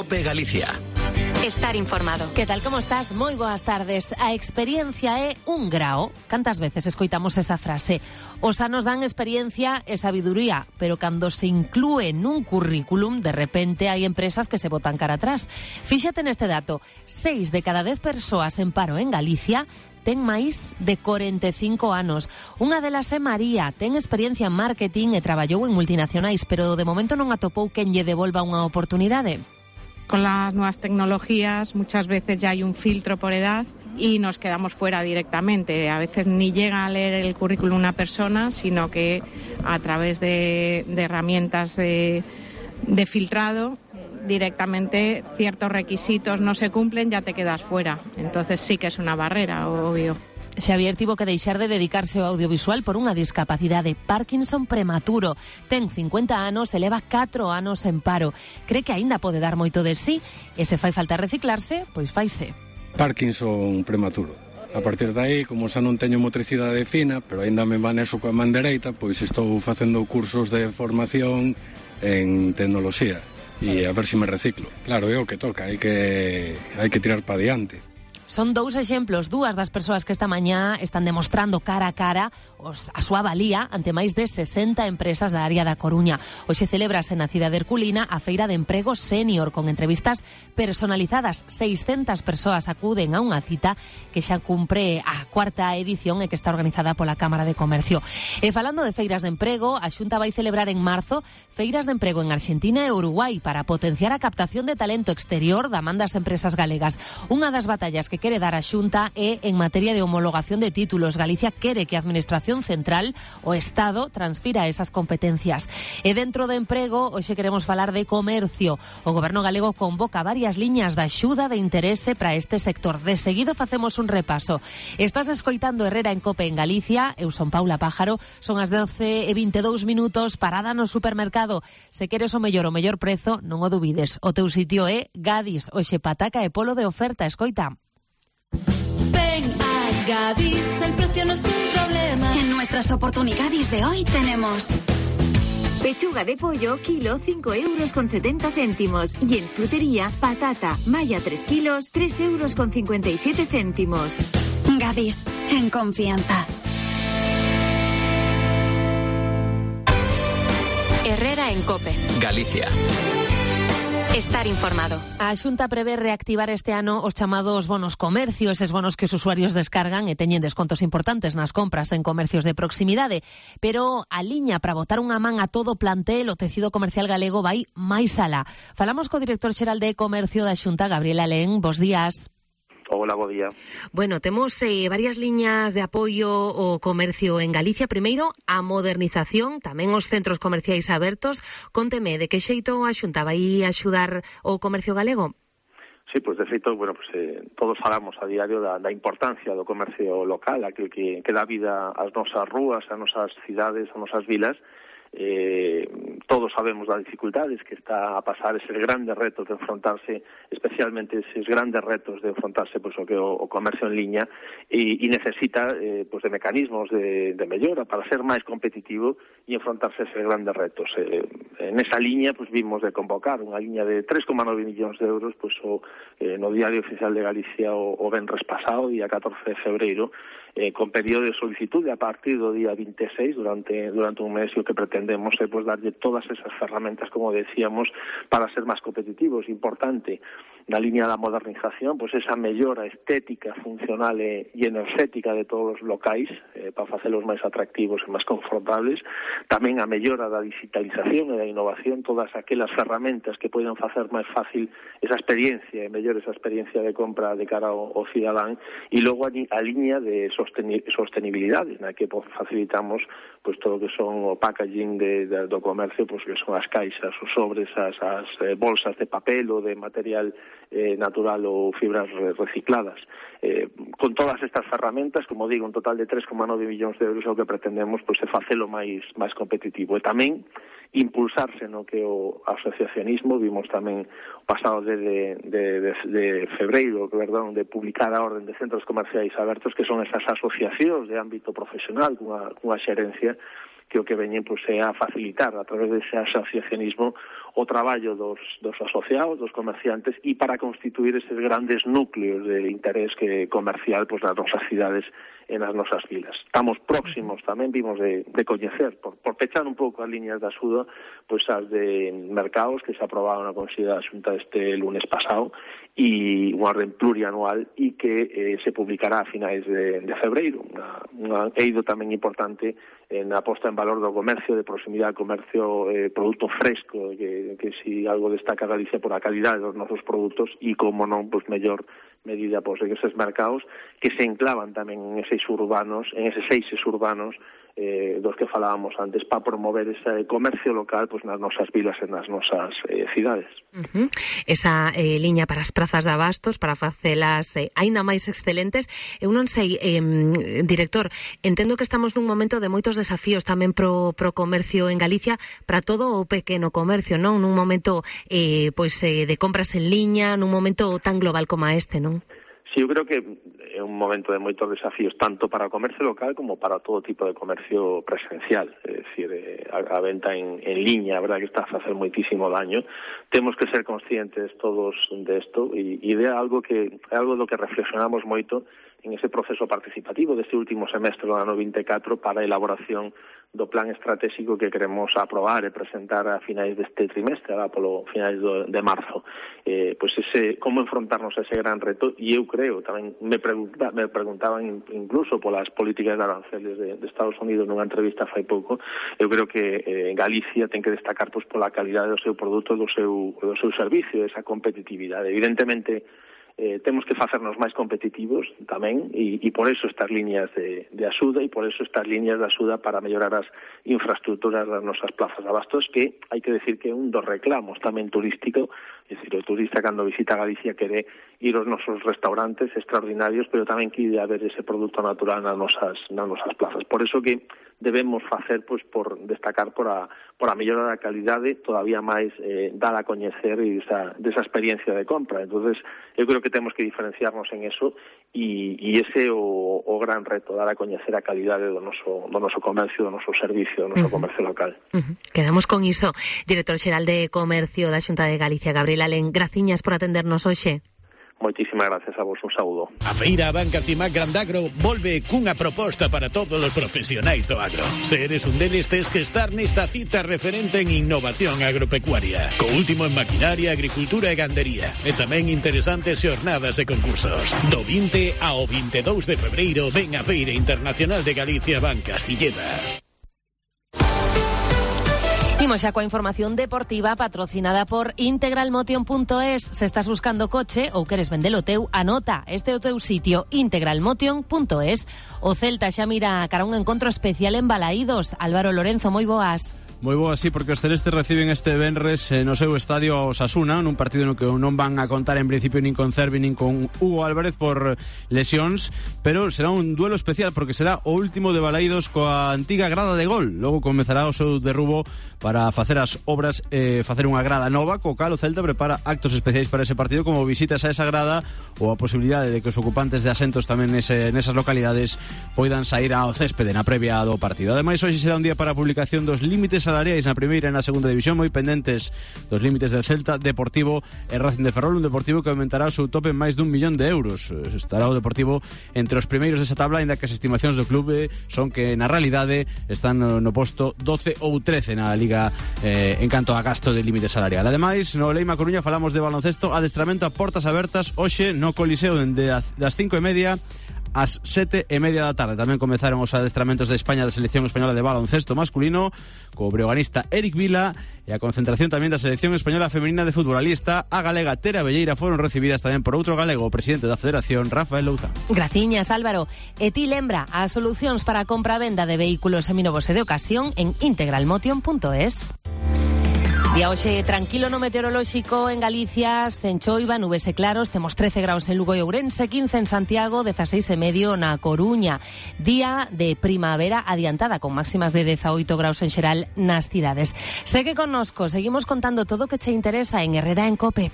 COPE Galicia. Estar informado. Que tal, como estás? Moi boas tardes. A experiencia é un grao. Cantas veces escoitamos esa frase? Os anos dan experiencia e sabiduría, pero cando se inclúe nun currículum, de repente hai empresas que se botan cara atrás. Fíxate neste dato. 6 de cada 10 persoas en paro en Galicia ten máis de 45 anos. Unha delas é María, ten experiencia en marketing e traballou en multinacionais, pero de momento non atopou quen lle devolva unha oportunidade. Con las nuevas tecnologías muchas veces ya hay un filtro por edad y nos quedamos fuera directamente. A veces ni llega a leer el currículum una persona, sino que a través de herramientas de filtrado directamente ciertos requisitos no se cumplen, ya te quedas fuera. Entonces sí que es una barrera, obvio. Xavier tivo que deixar de dedicarse ao audiovisual por unha discapacidade Parkinson prematuro. Ten 50 anos e leva 4 anos en paro. Cree que aínda pode dar moito de sí e se fai falta reciclarse, pois faise. Parkinson prematuro. A partir de aí, como xa non teño motricidade fina, pero aínda me manexo coa man dereita, pois estou facendo cursos de formación en tecnoloxía e a ver se me reciclo. Claro, é o que toca, hai que tirar pa diante. Son dous exemplos, dúas das persoas que esta mañá están demostrando cara a cara a súa valía ante máis de 60 empresas da área da Coruña. Hoxe celébrase na cidade herculina a Feira de Emprego Sénior con entrevistas personalizadas. 600 persoas acuden a unha cita que xa cumpre a 4ª edición e que está organizada pola Cámara de Comercio. E falando de feiras de emprego, a Xunta vai celebrar en marzo feiras de emprego en Arxentina e Uruguai para potenciar a captación de talento exterior da man das empresas galegas. Unha das batallas que quere dar a Xunta é en materia de homologación de títulos. Galicia quere que a Administración Central, o Estado, transfira esas competencias. E dentro de emprego, hoxe queremos falar de comercio. O Goberno galego convoca varias liñas de axuda de interese para este sector. De seguido facemos un repaso. Estás escoitando Herrera en COPE en Galicia. Eu son Paula Pájaro. Son as 12:22 minutos. Parada no supermercado. Se queres o mellor prezo, non o dubides. O teu sitio é Gadis. Hoxe pataca e polo de oferta. Escoita. Ven a Gadis, el precio no es un problema. En nuestras oportunidades de hoy tenemos pechuga de pollo, kilo, 5,70 €. Y en frutería, patata, malla 3 kilos, 3,57 €. Gadis, en confianza. Herrera en COPE Galicia. Estar informado. A Xunta prevé reactivar este ano os chamados bonos comercio, eses bonos que os usuarios descargan e teñen descontos importantes nas compras en comercios de proximidade. Pero a liña para botar unha man a todo o plantel, o tecido comercial galego vai máis alá. Falamos co director xeral de Comercio da Xunta, Gabriel Alén. Bos días. Hola, bo día. Bueno, temos varias liñas de apoio ao comercio en Galicia. Primeiro, a modernización, tamén os centros comerciais abertos. Conteme, de que xeito a Xunta vai axudar o comercio galego? Sí, pues de feito, todos falamos a diario da importancia do comercio local, aquel que dá vida ás nosas rúas, ás nosas cidades, ás nosas vilas. Todos sabemos das dificultades que está a pasar, eses grandes retos de enfrontarse, especialmente eses grandes retos de enfrontarse o que o comercio en liña e necesita de mecanismos de mellora para ser máis competitivo e enfrontarse a eses grandes retos. En esa liña vimos de convocar unha liña de 3,9 millóns de euros no Diario Oficial de Galicia o venres pasado, día 14 de febreiro, con período de solicitude a partir do día 26 durante un mes, e o que pretendemos é darlle todas esas ferramentas, como decíamos, para ser máis competitivos. Importante na liña da modernización, esa mellora estética, funcional e enerxética de todos os locais para facelos máis atractivos e máis confortables. Tamén a mellora da digitalización e da innovación, todas aquelas ferramentas que poidan facer máis fácil esa experiencia e mellor esa experiencia de compra de cara ao cidadán. E logo a liña de sostenibilidade, na que facilitamos todo o que son o packaging do comercio, que son as caixas, os sobres, as bolsas de papel ou de material natural ou fibras recicladas. Con todas estas ferramentas, como digo, un total de 3,9 millóns de euros, o que pretendemos é facelo máis competitivo e tamén impulsarse no que o asociacionismo. Vimos tamén o pasado de febreiro, de publicar a orden de centros comerciais abertos, que son esas asociacións de ámbito profesional cunha xerencia que o que veñen pois é a facilitar a través dese asociacionismo o traballo dos asociados, dos comerciantes, e para constituir eses grandes núcleos de interés comercial pois nas nosas cidades e nas nosas vilas. Estamos próximos tamén, vimos de coñecer, por pechar un pouco as liñas de axuda, pois as de mercados que se aprobaron na Consello da Xunta este lunes pasado, e unha orden plurianual e que se publicará a finais de febreiro. Unha eido tamén importante na posta en valor do comercio de proximidade, comercio produto fresco, que si algo destaca Galicia por a calidade dos nosos produtos e, como non, pois mellor medida pois en eses mercados que se enclavan tamén en eses eixes urbanos dos que falábamos antes, para promover ese comercio local pois nas nosas vilas e nas nosas cidades. Esa liña para as prazas de abastos, para facelas aínda máis excelentes. Eu non sei, director, entendo que estamos nun momento de moitos desafíos tamén pro comercio en Galicia, para todo o pequeno comercio, non? Nun momento de compras en liña, nun momento tan global como este, non? Sí, eu creo que é un momento de moitos desafíos, tanto para o comercio local como para todo tipo de comercio presencial. É dicir, a venta en liña, a verdad que está a facer moitísimo daño. Temos que ser conscientes todos desto, e é algo do que reflexionamos moito en ese proceso participativo deste último semestre do ano 24 para a elaboración do plan estratégico que queremos aprobar e presentar a finais deste trimestre, polo finais de marzo. Pois como enfrontarnos a ese gran reto, e eu creo, tamén me preguntaban incluso polas políticas de aranceles de Estados Unidos nunha entrevista fai pouco. Eu creo que Galicia ten que destacar pois pola calidade do seu produto, do seu servicio, esa competitividade. Evidentemente, temos que facernos máis competitivos tamén, e por eso estas líneas de axuda, e por eso estas líneas de axuda para mellorar as infraestructuras das nosas plazas de abastos, que hai que decir que é un dos reclamos tamén turístico. É dicir, o turista cando visita Galicia quere ir aos nosos restaurantes extraordinarios, pero tamén quere haber ese produto natural nas nosas plazas. Por eso que debemos facer pois por destacar por a mellora da calidade, todavía máis dar a coñecer desa experiencia de compra. Entonces, eu creo que temos que diferenciarnos en eso, e ese é o gran reto, dar a coñecer a calidade do noso comercio, do noso servicio, do noso comercio local. Quedamos con iso. Director xeral de Comercio da Xunta de Galicia, Gabriel Alén, graciñas por atendernos hoxe. Moitísimas gracias a vos, un saúdo. A Feira Banca Cimac Grandagro volve cunha proposta para todos os profesionais do agro. Se eres un deles, tes que estar nesta cita referente en innovación agropecuaria, co último en maquinaria, agricultura e gandería, e tamén interesantes xornadas e concursos. Do 20 ao 22 de febreiro ven a Feira Internacional de Galicia Banca Silleda. Imos xa coa información deportiva patrocinada por integralmotion.es. Se estás buscando coche ou queres vendelo teu, anota, este é o teu sitio, integralmotion.es. O Celta xa mira cara a un encontro especial en Balaídos. Álvaro Lorenzo, moi boas. Moi boa, sí, porque os celestes reciben este venres no seu estadio a Osasuna, nun partido no que non van a contar en principio nin con Cervi nin con Hugo Álvarez por lesións, pero será un duelo especial porque será o último de Balaídos coa antiga grada de gol. Logo comezará o seu derrubo para facer as obras facer unha grada nova, co cal o Celta prepara actos especiais para ese partido, como visitas a esa grada ou a posibilidade de que os ocupantes de asentos tamén nesas localidades poidan sair ao céspede na previa do partido. Ademais, hoxe será un día para a publicación dos límites salariais na primeira e na segunda división, moi pendentes dos límites del Celta, Deportivo e Racing de Ferrol, un Deportivo que aumentará o seu tope en máis dun millón de euros. Estará o Deportivo entre os primeiros desa tabla, ainda que as estimacións do clube son que na realidade están no posto 12 ou 13 na Liga en canto a gasto de límite salarial. Ademais, no Leima Coruña falamos de baloncesto, adestramento a portas abertas hoxe no Coliseo dende das 5:30 ás 7:30 da tarde. Tamén comezaron os adestramentos de España da selección española de baloncesto masculino co breoganista Eric Vila, e a concentración tamén da selección española femenina de futbolista, a galega Tera Velleira, foron recibidas tamén por outro galego, o presidente da Federación, Rafael Louzán. Graciñas, Álvaro. E ti lembra as solucións para a compra-venda de vehículos seminovos e de ocasión en integralmotion.es. Día hoxe tranquilo no meteorolóxico en Galicia, sen choiva, nubes e claros, temos 13 graus en Lugo e Ourense, 15 en Santiago, 16,5 na Coruña. Día de primavera adiantada, con máximas de 18 graus en xeral nas cidades. Segue connosco, seguimos contando todo o que che interesa en Herrera en Cope.